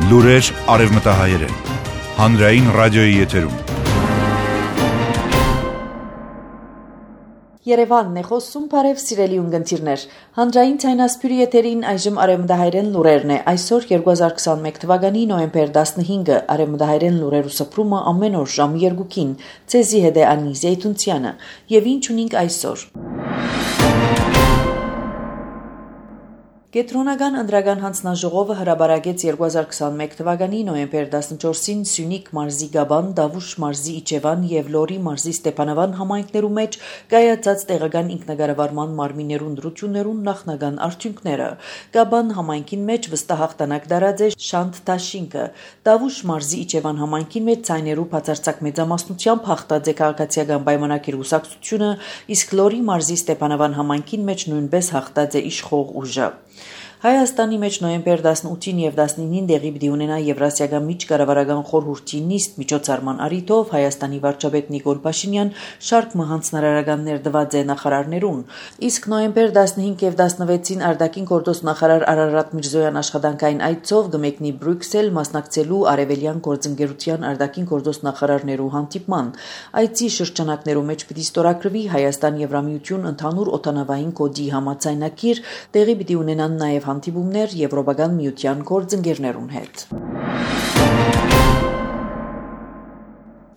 Լուրեր արևմտահայերեն, հանրային ռադիոյի եթերում։ Երևանն է խոսում, բարև սիրելի ունգընտիրներ։ Հանրային ցայնասպյուրի եթերին այժմ արևմտահայերեն լուրերն է։ Այսօր 2021 թվականի նոյեմբեր 15-ը արևմտահայերեն լուրերու սփռումը ամեն օր ժամը 2-ին։ Ցեզի հետ է Անի Զեյթունցյանը։ Եվ ինչ ունենք այսօր։ Կենտրոնական ընտրական հանձնաժողովը հրաբարակեց 2021 թվականի նոյեմբեր 14-ին Սյունիք մարզի Գաբան, Դավուշ մարզի Իջևան եւ Լորի մարզի Ստեփանավան համայնքներու մեջ կայացած տեղական ինքնագարավարման մարմիններու ընտրություններուն նախնական արդյունքները։ Գաբան համայնքին մեջ վստահ հաղթանակ դարած է Շանթ Տաշինկը, Դավուշ մարզի Իջևան համայնքին մեջ ցայներու բացարձակ մեծամասնությամբ հաղթած է քաղաքացիական պայմանագիր ուսակցությունը, իսկ Լորի մարզի Ստեփանավան համայնքին մեջ նույնպես հաղթած է իշխող ուժը։ Հայաստանի մեջ նոյեմբեր 18-ին եւ 19-ին դեղի պիտի ունենա Եվրասիական միջկառավարական խորհրդի նիստ միջոցառման առիթով Հայաստանի վարչապետ Նիկոլ Փաշինյան շարք հանձնարարականներ տված է նախարարներուն, իսկ նոյեմբեր 15 եւ 16-ին արտաքին գործոս նախարար Արարատ Միրզոյան աշխատանքային այցով գմեկնի Բրյուսել մասնակցելու արևելյան գործընկերության արտաքին գործոս նախարարներու հանդիպման։ Այցի շրջանակներու մեջ պիտի ստորագրվի Հայաստան-Եվրամիություն ընդհանուր օդանավային կոդի համաձայնագիր, տեղի պիտի ունենան նաեւ հանդիպումներ Եվրոպական միության գործընկերներուն հետ։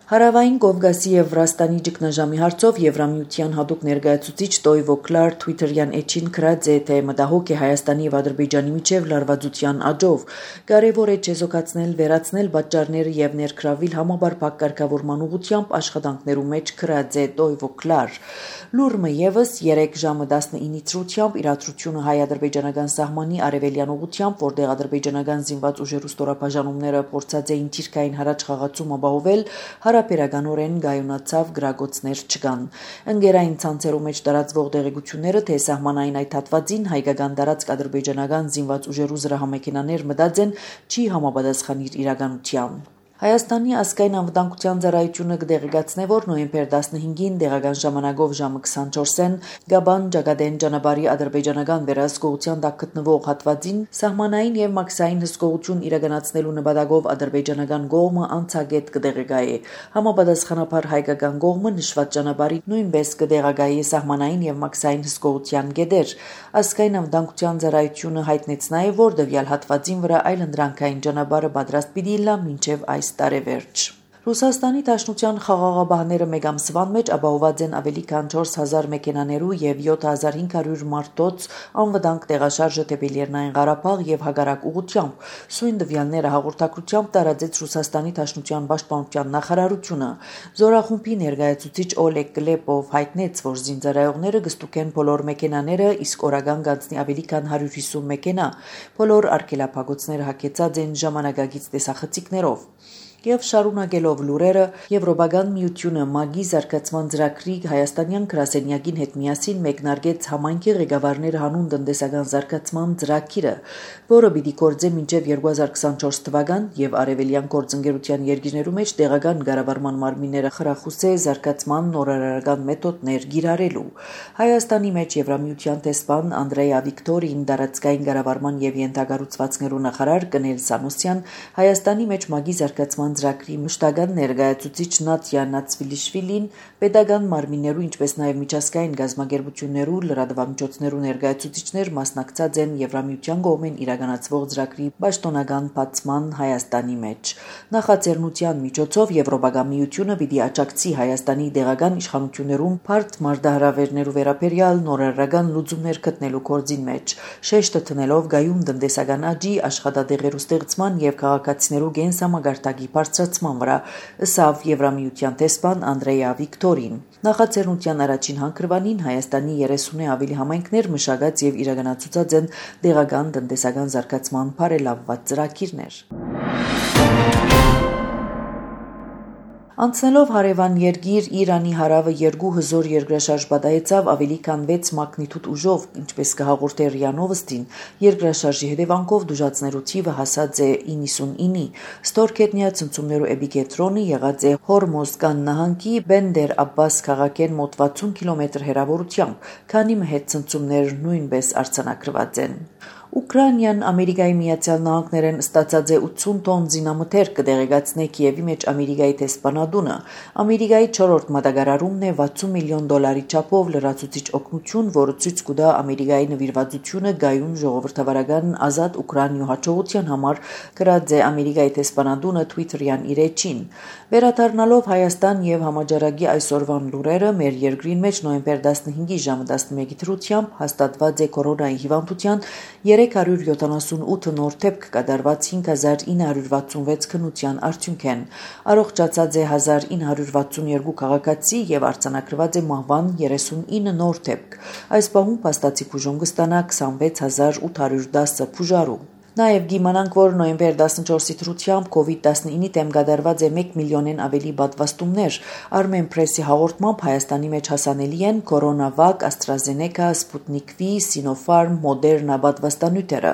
Հարավային Կովկասի եւ Վրաստանի ճգնաժամի հարցով Եվրամիության հատուկ ներկայացուցիչ Տոյվո Կլար Twitter-յան էջին գրած է, թե մտահոգ է Հայաստանի եւ Ադրբեջանի միջև լարվածության աճով։ Կարևոր է չեզոքացնել, վերացնել պատճառները եւ ներգրավել համաբար կարգավորման ուղղությամբ աշխատանքներու մեջ գրած է Տոյվո Կլար։ Լուրը եւս 3 ժամը 19-ի ցրությամբ իրադրությունը հայ-ադրբեջանական սահմանի արևելյան ուղղությամբ, որտեղ ադրբեջանական զինված ուժերու ստորաբաժանումները փորձած էին թիրքային հարաճ խաղացում ապահովել, հարաբերականորեն գայունացավ գրագոցներ չկան։ Ընկերային ցանցերու մեջ տարածվող տեղեկությունները, թե սահմանային այդ հատվածին հայկական տարածք ադրբեջանական զինված ուժերու զրահամեքենաներ մտած են, չի համապատասխանիր իրականության։ Հայաստանի ազգային անվտանգության ծառայությունը կդեղեկացնե, որ նոյեմբեր 15-ին տեղական ժամանակով ժամը 24-ին Գաբան Ջագադեն ճանապարհի ադրբեջանական վերահսկողության տակ գտնվող հատվածին սահմանային եւ մաքսային հսկողություն իրականացնելու նպատակով ադրբեջանական կողմը անցագետ կդեղեկայե։ Համապատասխանաբար հայկական կողմը նշված ճանապարհի նույնպես կդեղեկայե սահմանային եւ մաքսային հսկողության գեդեր։ Ազգային անվտանգության ծառայությունը հայտնեց նաեւ, որ դվյալ հատվածին վրա այլընտրանքային ճանապարհը պատրաստ պիտի լա մինչեւ այս տարեվերջ։ Ռուսաստանի Դաշնության խաղաղապահները մեկ ամսվան մեջ ապահոված են ավելի քան 4000 մեքենաներու եւ 7500 մարտոց անվտանգ տեղաշարժը դեպի Լեռնային Ղարաբաղ եւ հակառակ ուղղությամբ։ Սույն տվյալները հաղորդակցությամբ տարածեց Ռուսաստանի Դաշնության պաշտպանության նախարարությունը։ Զորախումբի ներկայացուցիչ Օլեգ Կլեպով հայտնեց, որ զինծառայողները կստուգեն բոլոր մեքենաները, իսկ օրական գանձնի ավելի քան 150 մեքենա։ Բոլոր արգելափակոցները հագեցած են ժամանակակից տեսախցիկներով։ Եվ շարունակելով լուրերը, Եվրոպական միությունը ՄԱԳ-ի զարգացման ծրագրի հայաստանյան գրասենյակին հետ միասին մեկնարկեց համայնքի ղեկավարները հանուն տնտեսական զարգացման ծրագիրը, որը պիտի գործե մինչև 2024 թվական եւ արևելյան գործընկերության երկիրներու մեջ տեղական կառավարման մարմինները խրախուսե զարգացման նորարարական մեթոդներ գիրառելու։ Հայաստանի մեջ Եվրամիության տեսփան Անդրեյա Վիկտորին, տարածքային կառավարման եւ յենթակառուցվածքներու նախարար Կնել Սանոսյան, Հայաստանի մեջ ՄԱԳ-ի զարգացման ծրագրի մշտական ներկայացուցիչ Նատյա Նացվիլիշվիլին, պետական մարմիններու, ինչպես նաև միջազգային գազམ་ագերբություններու լրատվամիջոցներու ներկայացուցիչներ մասնակցած են Եվրամիության կողմեն իրականացվող ծրագրի պաշտոնական բացման Հայաստանի մեջ։ Նախաձեռնության միջոցով Եվրոպական միությունը պիտի աջակցի Հայաստանի տեղական իշխանություններուն բարդ մարտահրավերներու վերաբերյալ նորարարական լուծումներ գտնելու գործին մեջ, շեշտը դնելով գայուն տնտեսական աճի, աշխատատեղերու ստեղծման եւ քաղաքացիներու կենսամագարտակի բարձրացման վրա, ըսավ Եվրամիության տեսփան Անդրեյա Վիկտորին։ Նախաձեռնության առաջին հանգրվանին Հայաստանի 30-ը ավելի համայնքներ մշակած եւ իրականացուցած են տեղական տնտեսական զարգացման բարելավված ծրագիրներ։ Անցնելով հարևան երկիր Իրանի հարավը 2 հզոր երկրաշարժ պատահեցավ ավելի քան 6 մագնիտուդ ուժով, ինչպես կհաղորդե ՌԻԱ Նովոստին, երկրաշարժի հետևանքով դժուժացներու թիվը հասած է 99-ի։ Ստորգետնյա ցնցումներու էպիկենտրոնը եղած է Հորմոզգան նահանգի Բենդեր Աբբաս քաղաքեն մոտ 60 կիլոմետր հեռավորությամբ, քանի մհետ ցնցումներ նույնպես արձանագրված են։ Ուկրաինան Ամերիկայի Միացյալ Նահանգներեն ստացած է 80 տոն զինամթերք կդեղեկացնե Կիևի մեջ Ամերիկայի տեսփանադունը։ Ամերիկայի 4-րդ մատակարարումն է $60 միլիոն չափով լրացուցիչ օգնություն, որը ցույց կտա Ամերիկայի նվիրվածությունը գայուն ժողովրդավարական ազատ Ուկրաինայու հաջողության համար, գրած է Ամերիկայի տեսփանադունը Twitter-յան իր էջին։ Վերադառնալով Հայաստան եւ համաճարակի այսօրվան լուրերը, մեր երկրին մեջ նոյեմբեր 15-ի ժամը 11-ի դրությամբ հաստատված է կորոնայի հիվանդության 378 նոր դեպք կատարված 5966 քննության արդյունքեն։ Առողջացած է 1962 քաղաքացի եւ արձանագրված է մահվան 39 նոր դեպք։ Այս պահում փաստացի բուժում կստանա 26810 բուժարու։ Նաև գիմանանք, որ նոյեմբեր 14-ի դրությամբ COVID-19-ի դեմ կատարված է 1 միլիոնեն ավելի պատվաստումներ։ Armen Press-ի հաղորդմամբ Հայաստանի մեջ հասանելի են Coronavac, AstraZeneca, Sputnik V, Sinopharm, Moderna պատվաստանյութերը։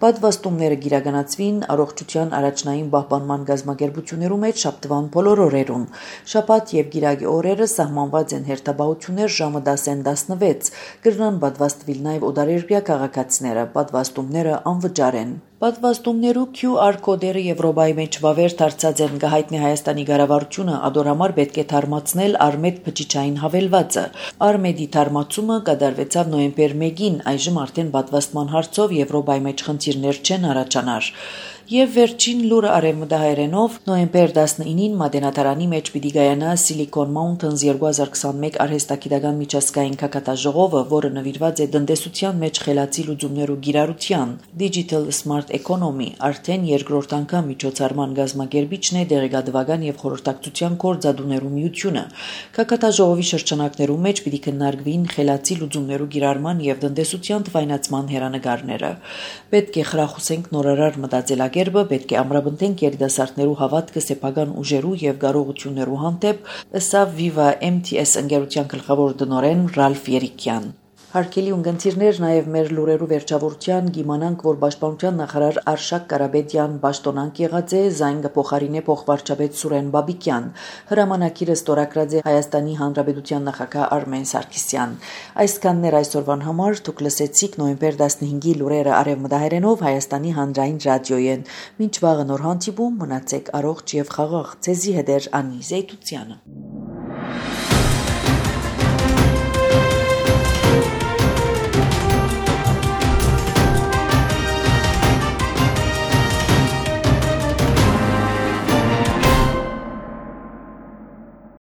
Պատվաստումները կիրականացվին առողջության առաջնային պահպանման գազམ་ագերբություններու մեջ շաբթվան բոլոր օրերուն։ Շաբաթ եւ գիրակի օրերը սահմանված են հերթապահություններ ժամը 10-ին 16։ Կրնան պատվաստվել նաև օտարերկրյա քաղաքացիները։ Պատվաստումները անվճար են։ Պատվաստումներու QR կոդերը Եվրոպայի մեջ վավեր դարձած են գահիտնի Հայաստանի կառավարությունը ադոր համար պետք է թարմացնել Արմեդ բջիջային հավելվածը։ Արմեդի թարմացումը կատարվեցավ նոյեմբեր 1-ին, այժմ արդեն պատվաստման հարցով Եվրոպայի մեջ խնդիրներ չեն առաջանար։ Եվ վերջին լուրը արևմտահայերենով նոյեմբեր 19-ին Մատենադարանի մեջ պիտի գայանա Silicon Mountains 2021 արհեստագիտական միջազգային քակատաժողովը, որը նվիրված է տնտեսության մեջ խելացի լուծումներու կիրառության Digital Smart Economy, արդեն երկրորդ անգամ միջոցառման գազམ་ագերբիչն է դեղեկատվական եւ խորհրդակցության գործադուներու միությունը։ Քակատաժողովի շրջանակներու մեջ պիտի քննարկվին խելացի լուծումներու կիրառման եւ տնտեսության թվայնացման հերանեկարները։ Պետք է խրախուսենք նորարար մտածելակերպը, պետք է ամրապնդենք երիտասարդներու հավատքը սեփական ուժերու եւ կարողություններու հանդեպ, ըստ Viva MTS ընկերության գլխավոր տնօրեն Ռալֆ Երիկյան։ Հարկելի ունգընտիրներ, նաև մեր լուրերու վերջավորության գիմանանք, որ Պաշտպանության նախարար Արշակ Կարապետյան պաշտոնանկ եղած է զայն կփոխարինե փոխվարչապետ Սուրեն Բաբիկյան։ Հրամանակիրը ստորագրած է Հայաստանի Հանրապետության նախագահ Արմեն Սարգսյան։ Այսքաններ այսօրվան համար դուք լսեցիք նոյեմբեր 15-ի լուրերը արևմտահայերենով Հայաստանի հանրային ռադիոյեն։ Մինչ վաղը նոր հանդիպում, մնացեք առողջ եւ խաղաղ։ Ձեզի հետ է Անի Զեյթությանը։